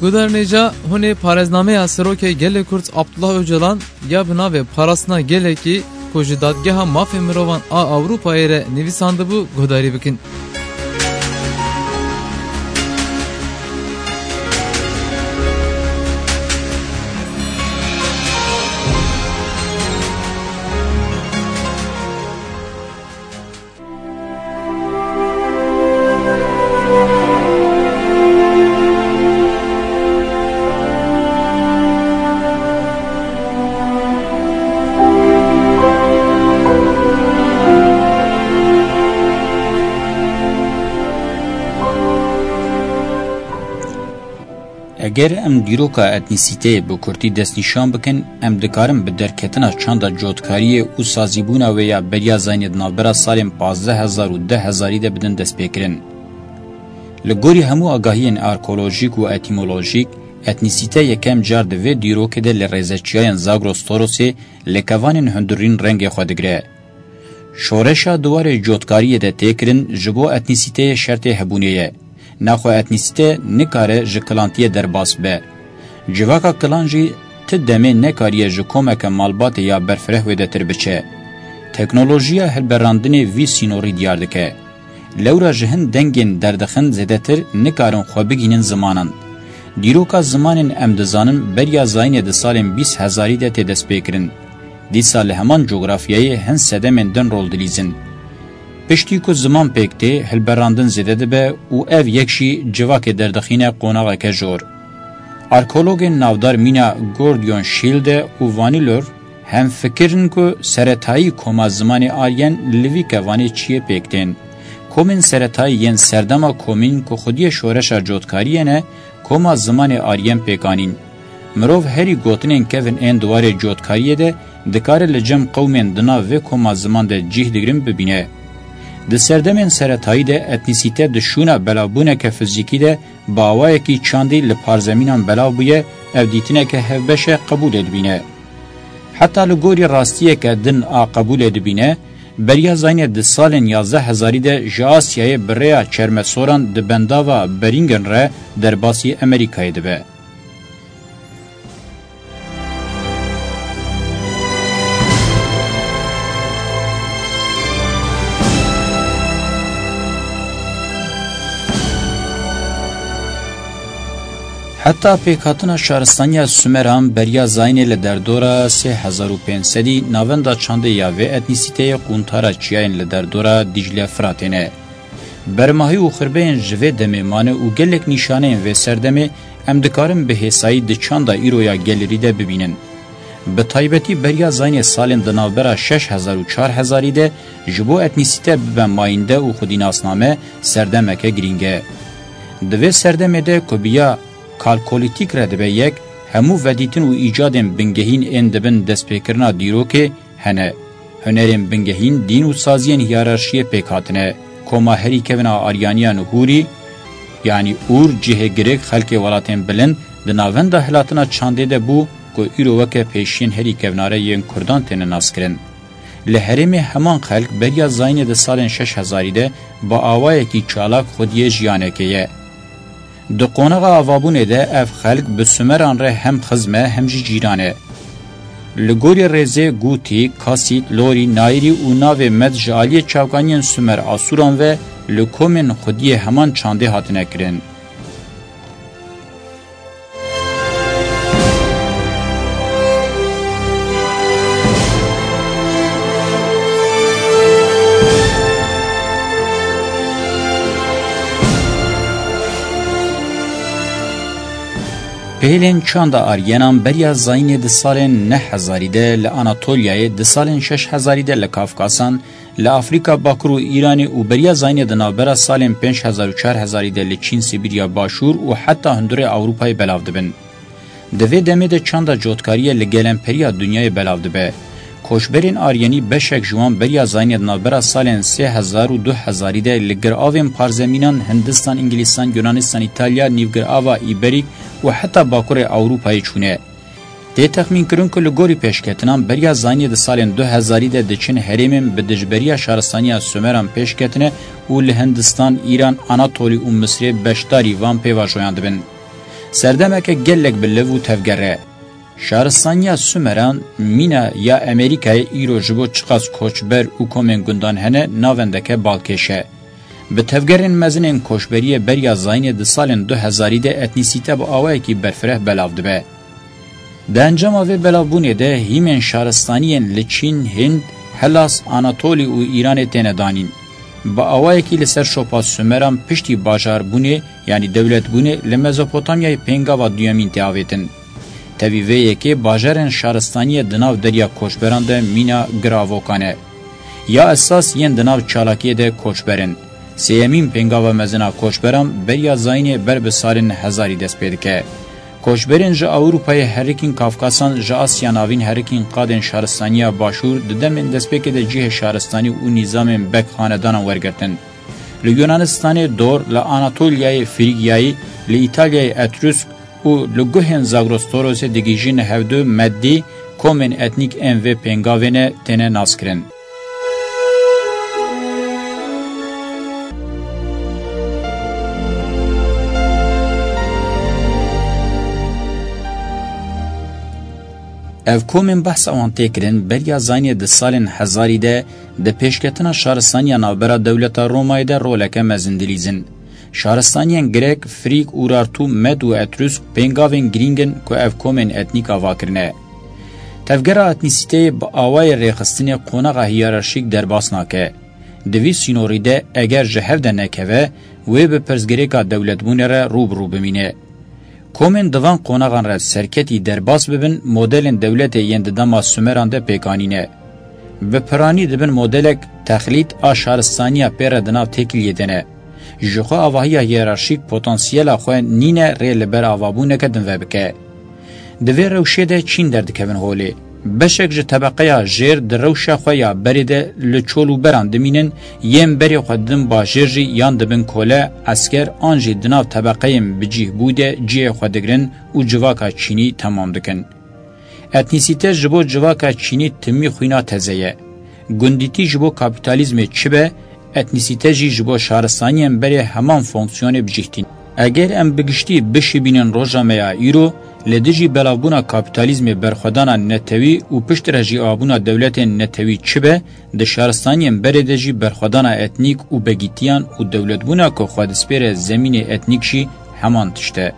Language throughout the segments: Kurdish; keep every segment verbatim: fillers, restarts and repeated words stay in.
Guhdarên hêja, hûn ê parêznameya Serokê Gelê Kurd Abdullah Ocalan ya bi navê Parastina Gelekî ku ji Dadgeha Mafê Mirovan a Ewropayê re nivîsandibû guhdarî bikin. Eger em dîroka etnîsîteyê bi kurtî destnîşan bikin, em dikarin bi derketina çanda cotkariyê û sazîbûna wê ya beriya zayînê di navbera salên pazdeh hezar û deh hezarî de bidin destpêkirin. Li gorî hemû agahiyên arkeolojîk û etîmolojîk, etnîsîte yekem car di vê dîrokê de li rêzeçiyayên Zagros Torosê li kevanên hundirîn rengê xwe digire. Şoreşa di warê cotkariyê de tê kirin ji bo etnîsîteyê şertê hebûnê ye. Naxwe etnîsîte nikare ji kilantiyê derbas be. Civaka kilan jî ti demê nekariye ji komeke malbatê ya berfireh wêdetir biçe. Teknolojiya hilberandinê vî sînorî diyar dike. Lewra ji hin dengên derdixin zêdetir nikarin xwe bigihînin zimanan. Dîroka zimanên em dizanin beriya zayînê di salên bîst hezarî de tê destpêkirin. Dîsa li heman cografyayê hin sedemên din rol dilîzin. Piştî ku ziman pêk tê, hilberandin zêde dibe û ev yek jî civakê derdixîne qonaxeke jor. Arkeologên navdar mîna Gordion Schilde û Vanilor hem fikir in ku seretayî koma zimanê Aryen li vî kevanê çiyê pêk tên. Komên seretayî yên serdema komîn ku xwediyê şoreşa cotkariyê ne, koma zimanê Aryen pêk anîn. Mirov herî gotinên kevin ên di warê cotkariyê de dikare li cem qewmên di nav vê koma ziman de cih digirin bibîne. Di serdemên seretayî de etnîsîte di şûna belavbûneke fizîkî de bi awayekî çandî li parzemînan belav bûye, ev dîtineke hevbeş e, qebûlê dibîne. Heta li gorî rastiyeke din a qebûlê dibîne, beriya zayînê di salên yazdeh hezarî de ji Asyayê bi rêya çermesoran di bendava Beringen re derbasî Amerîkayê dibe. Heta pêkhatina şaristaniya Sumeran beriya zayînê li derdora sê hezar û pênc sedî navenda çandê ya vê etnîsîteyê quntara çiyayên li derdora Dîcle Firatê ne. Bermahî û xirbeyên ji vê demê mane û gelek nîşaneyên vê serdemê em dikarin bi hêsayî di çanda îro ya gelêrî de bibînin. Bi taybetî beriya zayînê salên di navbera şeş hezar û çar hezarî de ji bo etnîsîte bibe mayînde û xwedînasname serdemeke girîng e. Di vê serdemê de ku bi ya kalkolîtîk re dibe yek, hemû vedîtin û îcadên bingehîn ên dibin destpêkirina dîrokê hene. Hunerên bingehîn, dîn û saziyên hiyerarşiyê pêk hatine. Koma herî kevin a Aryaniyan Hûrî, yanî Ûr, cihê girik, xelkê welatên bilind, di navenda hilatina çandê de bû ku îro weke pêşiyên herî kevnare yên Kurdan têne naskirin. Li herêmê heman xelk beriya zayînê di salên şeş hezarî de bi awayekî çalak xwediyê jiyanekê ye. Di qonaxa avabûnê de ev xelk bi Sumeran re hem xizm e hem jî cîran e. Li gorî rêzê Gûtî, Kasît, Lorî, Nayirî û navê Med ji aliyê çavkaniyên Sumer Asûran ve li komên xwediyê heman çandê hatine kirin. Pêlên çanda Aryenan beriya zayînê di salên neh hezarî de li Anatolyayê, di salên şeş hezarî de li Kafkasan, li Afrîka Bakur û Îranê û beriya zayînê di navbera salên pênc hezar û çar hezarî de li Çîn, Sibîrya Başûr û heta hundurê Ewropayê belav dibin. Di vê demê de çanda cotkariyê li gelenperiya dinyayê belav dibe. Koçberên Aryenî beşek ji wan beriya zayînê di navbera salên sê hezar û du hezarî de li giravên parzemînan Hindistan, Îngilîstan, Yunanistan, Îtalya, Nîvgirava Îberîk û heta Bakurê Ewropayê çûne. Tê texmînkirin ku li gorî pêşketinan beriya zayînê di salên du hezarî de diçin herêmên bi dijberiya şaristaniya Sumeran pêş ketine û li Hindistan, Îran, Anatolî û Misirê beşdarî van pêvajoyan dibin. Serdemeke gelek bi liv û tevger e. Şaristaniya Sumeran, mîna ya Amerîkayê îro ji bo çiqas koçber û komên gundan hene navendeke balkêş e. Bi tevgerên mezin ên koçberiyê beriya zayînê di salên du hezarî de etnîsîte bi awayekî berfireh belav dibe. Di encama vê belavbûnê de hîmên şaristaniyên li Çîn, Hind, Helas, Anatolî û Îranê têne danîn. Bi awayekî li ser şopa Sumeran piştî bajarbûnê, yanî dewletbûnê, li Mezopotamyayê pêngava duyemîn tê avêtin. Tevî vê yekê bajarên şaristaniyê di nav derya koçberan de mîna giravokan e. Ya esas yên di nav çalakiyê de koçber in. Sêyemîn pêngava mezin a koçberan beriya zayînê ber bi salên hezarî dest pê dike. Koçberên ji Ewropayê herikîn Kafkasan, ji Asya Navîn herikîn qadên şaristaniya Başûr di demên destpêkê de cihê şaristanî û nîzamên beg xanedanan wergirtin. Li Yunanistanê Dor, li Anatolyayê Frîgyayî, li Îtalyayê Etrûsk û li guhên Zagros Torosê digihîjin hevdu meddî komên etnîk ên vê pêngavê ne têne naskirin. Ev komên behsa wan tê kirin, beriya zayînê di salên hezarî de di pêşketina şaristaniya navbera dewleta Romayê de roleke mezin dilîzin. Şaristaniyên Grek, Frîg, Urartu, Med û Etrûsk pêngavên girîng in ku ev komên etnîk ava kirine. Tevgera etnîsîteyê bi awayê rêxistinê qonaxa hiyerarşîk derbas nake. Di vî sînorî de eger ji hev de nekeve, wê bi pirsgirêka dewletbûnê re rû bi rû bimîne. Komên di van qonaxan re serketî derbas bibin, modelên dewletê yên di dema Sumeran de pêk anîne. Bi piranî dibin modelek texlît a şaristaniya pê re di nav têkiliyê de ne. Ji xwe avahiya hiyerarşîk potansiyela xwe nîne rê li ber avabûneke din vebike. Di vê rewşê de çîn derdikevin holê. Beşek ji tebeqeya jêr di rewşa xwe ya berê de li çol û beran dimînin, yên berê xwe didin bajêr jî yan dibin kole, esker an jî di nav tebeqeyên bicîhbû de cihê xwe digirin û civaka çînî temam dikin. Etnîsîte ji bo civaka çînî timî xwîna teze ye. Gundîtî ji bo kapîtalîzmê çi be, etnîsîte jî ji bo şaristaniyên berê heman fonksiyonê bi cih tîne. Eger em bi giştî bişibînin roja me ya îro, li dijî belavbûna kapîtalîzmê berxwedana netewî û piştre jî avabûna dewletên netewî çi be, di şaristaniyên berê de jî berxwedana etnîk û begîtiyan û dewletbûna ku xwe dispêre zemînê etnîk jî heman tişt e.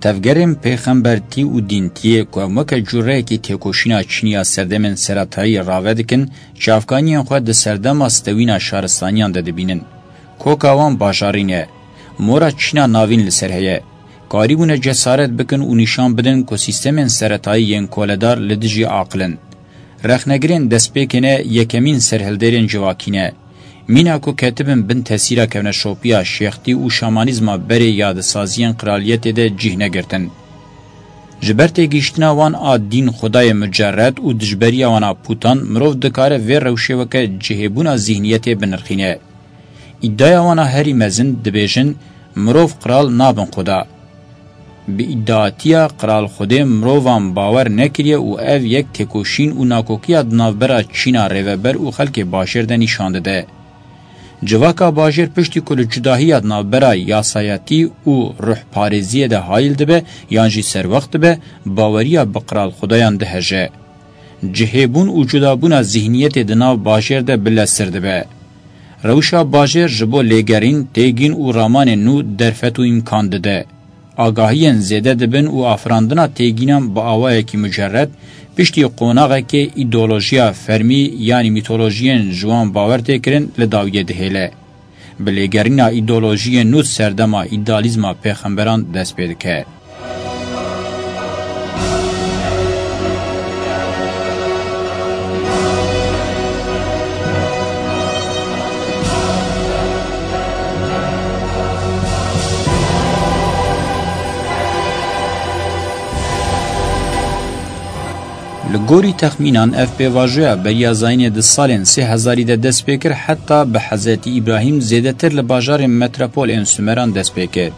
Tevgerên pêxembertî û dîntiyê ku em weke cureyekî têkoşîna çînî ya serdemên seretayî rave dikin, çavkaniyên xwe di serdema stewîna şaristaniyan de dibînin. Koka wan bajarî ne. Mora çîna navîn li ser heye. Karîbûne cesaret bikin û nîşan bidin ku sîstemên seretayî yên koledar li dijî aqil in. Rexnegirên destpêkê ne yekemîn serhildêrên civakî ne. Mîna ku ketibin bin tesîra kevneşopiya şêxtî û şamanîzma berê yadisaziyên qiraliyetê de cih negirtin. Ji ber têgihiştina wan a dîn xwedayê mucerred û dijberiya wan a pûtan, mirov dikare vê rewşê weke cihêbûna zîhniyetê binirxîne. Îdaya wan a herî mezin dibêjin, mirov qral nabin xweda. Bi îdiatiya qral xwedê mirovan bawer nekiriye û ev yek têkoşîn û nakokiya di navbera çîna rêveber û xelkê bajêr de nîşan dide. Civaka bajêr piştî ku li cudahiya di navbera yasayetî û ruhparêziyê de hayil dibe yan jî serwext dibe, baweriya bi qral xwedayan diheje. Cihêbûn û cudabûna zîhniyetê di nav bajêr de bileztir dibe. Rewşa bajêr ji bo lêgerîn, têgîn û ramanên nû derfet û îmkan dide. Agahiyên zêde dibin û afirandina têgînan bi awayekî mucerred, piştî qonaxekê îdeolojiya fermî yanî mîtolojiyên ji wan bawer tê kirin li dawiyê dihêle. Bi lêgerîna îdeolojiyên nû serdema îdealîzma pêxemberan dest pê dike. Li Gorî texmînan ev pêvajoya beriya zayînê di salên sê hezarî de dest pê kir, heta bi Hezretî Îbrahîm zêdetir li bajarên metropol ên Sumeran dest pê kir.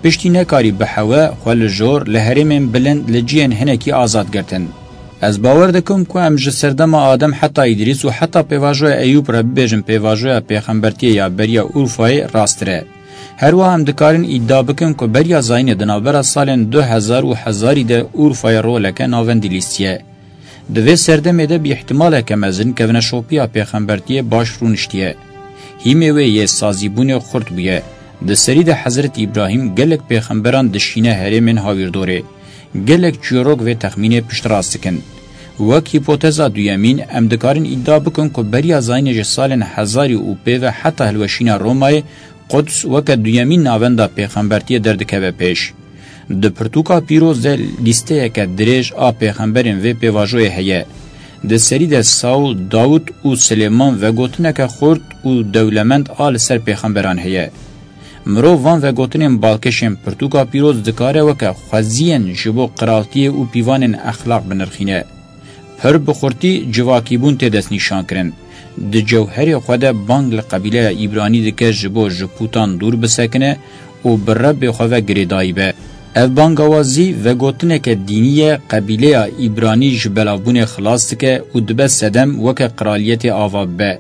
Piştî nekarî bi hewe xwe li jor li herêmên bilind li cihên hinekî azad girtin. Ez bawer dikim ku em ji serdema Adem heta Îdrîs û heta pêvajoya Eyûb re bibêjin pêvajoya pêxembertiyê ya beriya Urfayê rasttir e. Her wiha em dikarin îdia bikin ku beriya zayînê di navbera salên du hezar û hezarî de Urfayê roleke navendî lîstiye. Di vê serdemê de bi îhtimaleke mezin kevneşopiya pêxembertiyê baş rûniştiye. Hîmê wê yê sazîbûnê xurt bûye. Di serî de Hezretî Îbrahîm gelek pêxemberan dişîne herêmên hawîrdorê. Gelek çîrok vê texmînê piştrast dikin. Wek hîpoteza duyemîn, em dikarin îdia bikin ku beriya zayînê ji salên hezarî û pê ve heta hilweşîna Romayê, Quds weke duyemîn navenda pêxembertiyê derdikeve pêş. Di pirtûka pîroz de lîsteyeke dirêj a pêxemberên vê pêvajoyê heye. Di serî de Saûl, Dawûd û Silêman vegotineke xurt û dewlemend a li ser pêxemberan heye. Mirov van vegotinên balkêşên pirtûka pîroz dikare weke xweziyên ji bo qiraltiyê û pîvanên exlaq binirxîne. Pir bi xurtî civakîbûn tê destnîşankirin. Di cewherê xwe de bang li qebîleya Îbranî dike ji bo ji pûtan dûr bisekine û bi Rebbê xwe ve girêdayî be. Ev bangawazî vegotineke dînî ye, qebîleya Îbranî ji belavbûnê xilas dike û dibe sedem weke qiraliyetê ava bibe.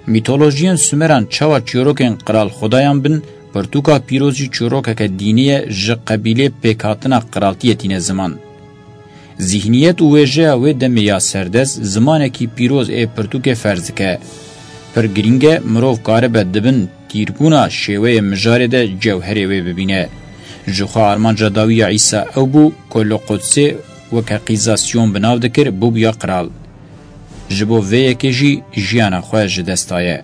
Mîtolojiyên Sumeran çawa çîrokên qral xudayan bin, pirtûka pîroz jî çîrokeke dînî ye, ji qebîlê pêkhatina qiraltiyê tîne ziman. Zîhniyet û wêjeya wê demê ya serdest zimanekî pîroz ê pirtûkê ferz dike. Pir girîng e mirov karibe di bin tîrbûna şêweyê mijarê de cewherê wê bibîne. Jixwe armanca dawî ya Îsa ew bû ku li Qudsê weke qîza Siyon bi nav dikir, bûbûya qral. Ji bo vê yekê jî jiyana xwe ji dest daye.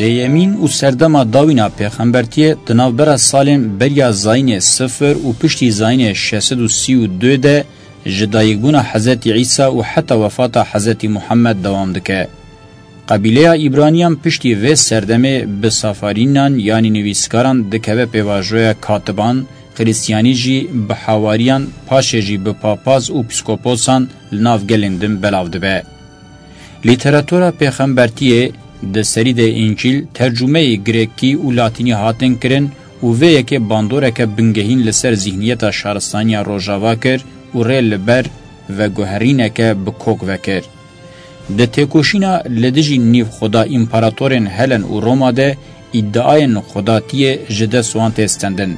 Sêyemîn û serdema dawîna pêxembertiyê di navbera salên beriya zayînê sifir û piştî zayînê şeş sed û sî û du de ji dayikbûna Hezretî Îsa û heta wefata Hezretî Muhammed dewam dike. Qebîleya Îbraniyan piştî vê serdemê bi Safarînan, yanî nivîskaran, dikeve pêvajoya katiban, Xiristiyanî jî bi hawariyan, paşê jî bi papaz û pîskoposan li nav gelên din belav dibe. Lîteratura pêxembertiyê, di serî de Încîl, tercûmeyê grekî û latînî hatin kirin û vê yekê bandoreke bingehîn li ser zîhniyeta şaristaniya Rojava kir û rê li ber veguherîneke bi kok vekir. Di têkoşîna li dijî nîvxweda împaratorên Helen û Roma de îdiayên xwedatiyê ji dest wan tê stendin.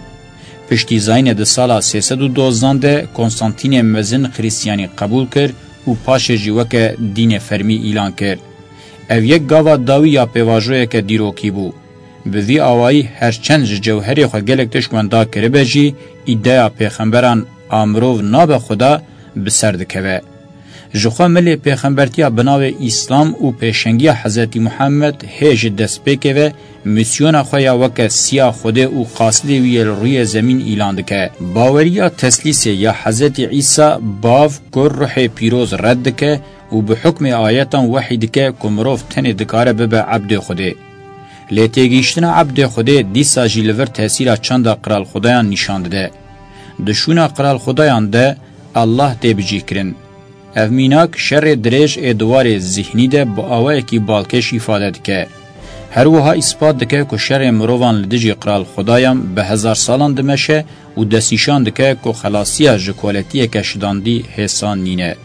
Piştî zayînê di sala sê sed û dozdan de Konstantînê Mezin Xirîstiyanî qebûl kir û paşê jî weke dînê fermî îlan kir. Ev yek gava dawî ya pêvajoyeke dîrokî bû. Bi vî awayî her çend ji cewherê xwe gelek tişt wenda kiribe jî, îdeya pêxemberan a mirov nabe Xuda bi ser dikeve. Jixwe milê pêxembertiya bi navê Îslam û pêşengiya Hezretî Muhammed hê ji destpêkê ve mîsyona xwe ya weke siya Xwedê û qasidê wî yê li rûyê zemîn îlan dike. Baweriya teslîsê ya Hezretî Îsa, Bav, Kur, Ruhê Pîroz red dike û bi hukmê ayetan wehî dike ku mirov tenê dikare bibe ebdê Xwedê. Lê têgihîştina ebdê Xwedê dîsa jî li vir tesîra çanda qral Xudayan nîşan dide. Di şûna qral Xudayan de Allah tê bicîhkirin. Ev mînak şerê dirêj ê di warê zihnî de bi awayekî balkêş îfade dike. Her wiha îspat dike ku şerê mirovan li dijî qral Xudayan bi hezar salan dimeşe û destnîşan dike ku xelasiya ji koletiyeke şidandî hêsan nîne.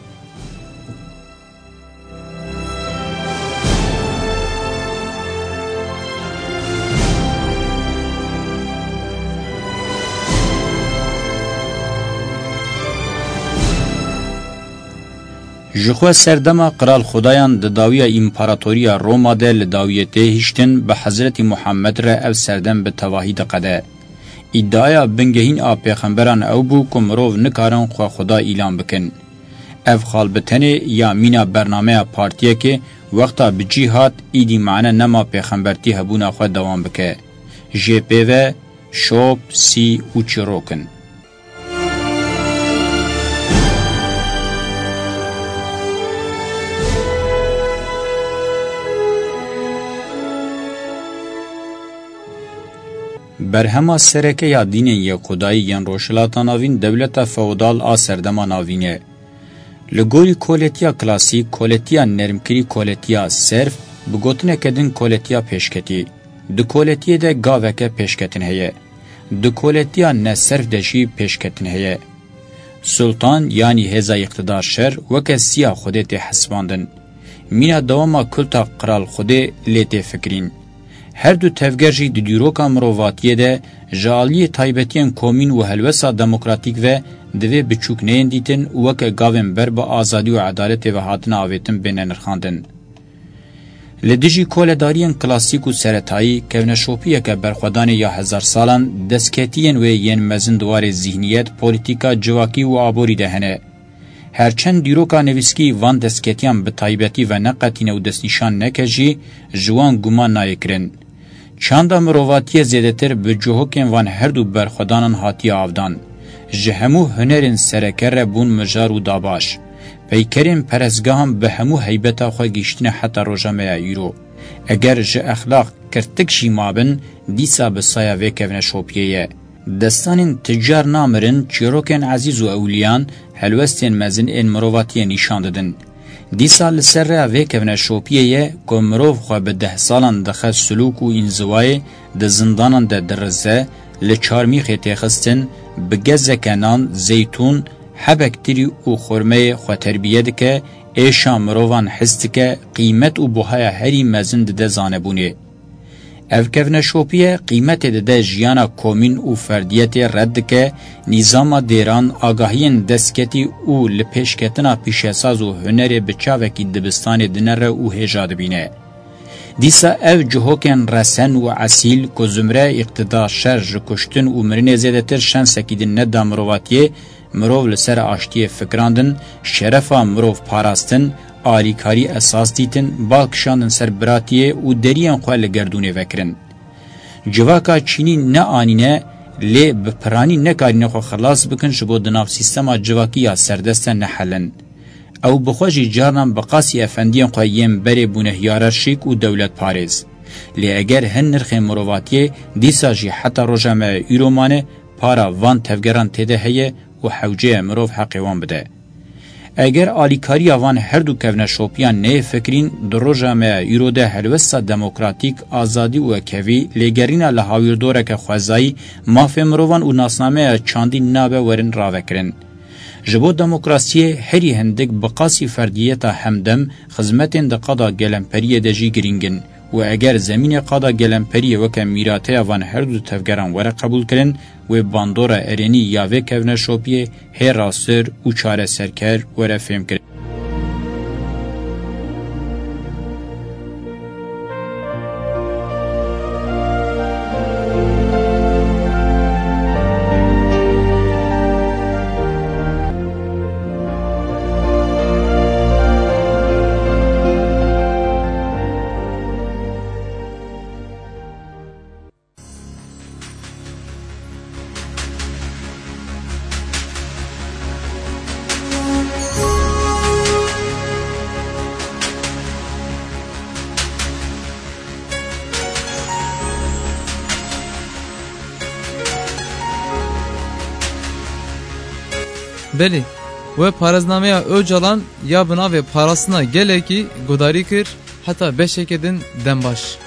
Jixwe serdema qral Xudayan di dawiya împaratoriya Roma de li dawiyê tê hiştin, bi Hezretî Muhammed re ev serdem bi tevahî diqede. Îdiaya bingehîn a pêxemberan ew bû ku mirov nikarin xwe Xuda îlan bikin. Ev xal bi tenê ya mîna bernameya partiyekê, wexta bi cî hat, îdî mane nema pêxembertî hebûna xwe dewam bike. Jê pê ve şop, sî û çîrok in. Berhema sereke ya dînên yekxwedayî yên Rojhilata Navîn dewleta feodal a serdema navîn e. Li gorî koletiya klasîk, koletiya nermkirî koletiya serf, bi gotineke din koletiya pêşketî. Di koletiyê de gaveke pêşketin heye. Di koletiya ne serf de jî pêşketin heye. Sultan yanî hêza îqtidar şer weke siya Xwedê tê hesibandin. Mîna dewama kulta Qral Xwedê lê tê fikirîn. Her du tevger jî di dîroka mirovatiyê de ji aliyê taybetiyên komîn û helwesta demokratîk ve divê biçûk neyên dîtin û weke gavên ber bi azadî û edaletê ve hatine avêtin bêne nirxandin. Li dijî koledariyên klasîk û seretayî, kevneşopiyeke berxwedanê ya hezar salan, destketiyên wê yên mezin di warê zîhniyet, polîtîka, civakî û aborî de hene. Her çend dîroka nivîskî van destketiyan bi taybetî veneqetîne û destnîşan neke jî, ji wan guman nayê kirin. Çanda mirovatiyê zêdetir bi cihokên van her du berxwedanan hatiye avdan. Ji hemû hunerên sereke re bûn mijar û dabaş. Peykerên perestgehan bi hemû heybeta xwe gihîştine heta roja me ya îro. Eger ji exlaq kirtik jî mabin, dîsa bi saya vê kevneşopiyê ye. Destanên ticar namirin, çîrokên ezîz û ewliyan, helwestên mezin ên mirovatiyê nîşan didin. Dîsa li ser rêya vê kevneşopiyê ye ku mirov xwe bi deh salan dixe silûk û înziwayê, di zindanan de dirize, li çarmîxê têxistin, bi gezeke nan, zeytûn, hebek tirî û xurmeyê xwe terbiye dike, êşa mirovan his dike, qîmet û buhaya herî mezin dide zanebûnê. Ev kevneşopiye qîmetê dide jiyana komîn û ferdiyetê red dike, nîzama dêran, agahiyên destketî û li pêşketina pîşesaz û hunerê bi çavekî dibistanê dinere û hêja dibîne. Dîsa ev cihokên resen û esîl ku zumre îqtidar şer ji kuştin û mirinê zêdetir şensekî din neda mirovatiyê, mirov li ser aştiyê fikirandin, şerefa mirov parastin, alîkarî esas dîtin, bal kişandin ser biratiyê û deriyên xwe li gerdûnê vekirin. Civaka çînî ne anîne, lê bi piranî nekarîne xwe xilas bikin ji bo di nav sîstema civakî ya serdest de nehelin. Ew bi xwe jî carnan bi qasî efendiyên xwe yên berê bûne hiyerarşîk û dewletparêz. Lê eger hin nirxên mirovatiyê dîsa jî heta roja me îro mane, para van tevgeran têde heye û hewce ye mirov heqê wan bide. Eger alîkariya van her du kevneşopiyan neyê fikirîn, di roja me ya îro de helwesta demokratîk, azadî û wekhevî, lêgerîna li hawîrdoreke xwezayî, mafê mirovan û nasnameya çandî nabe werin ravekirin. Ji bo demokrasiyê herî hindik bi qasî ferdiyeta hemdem, xizmetên di qada gelemperiyê de jî girîng in û eger zemînê qada gelemperiyê weke mîrateya van her du tevgeran were qebûlkirin, wê bandora erênî ya vê kevneşopiyê hê rasttir û çareserker were fêmkirin. Belê, we parêznameya Ocalan ya bi navê Parastina Gelekî guhdarî kir, heta beşeke din dem baş.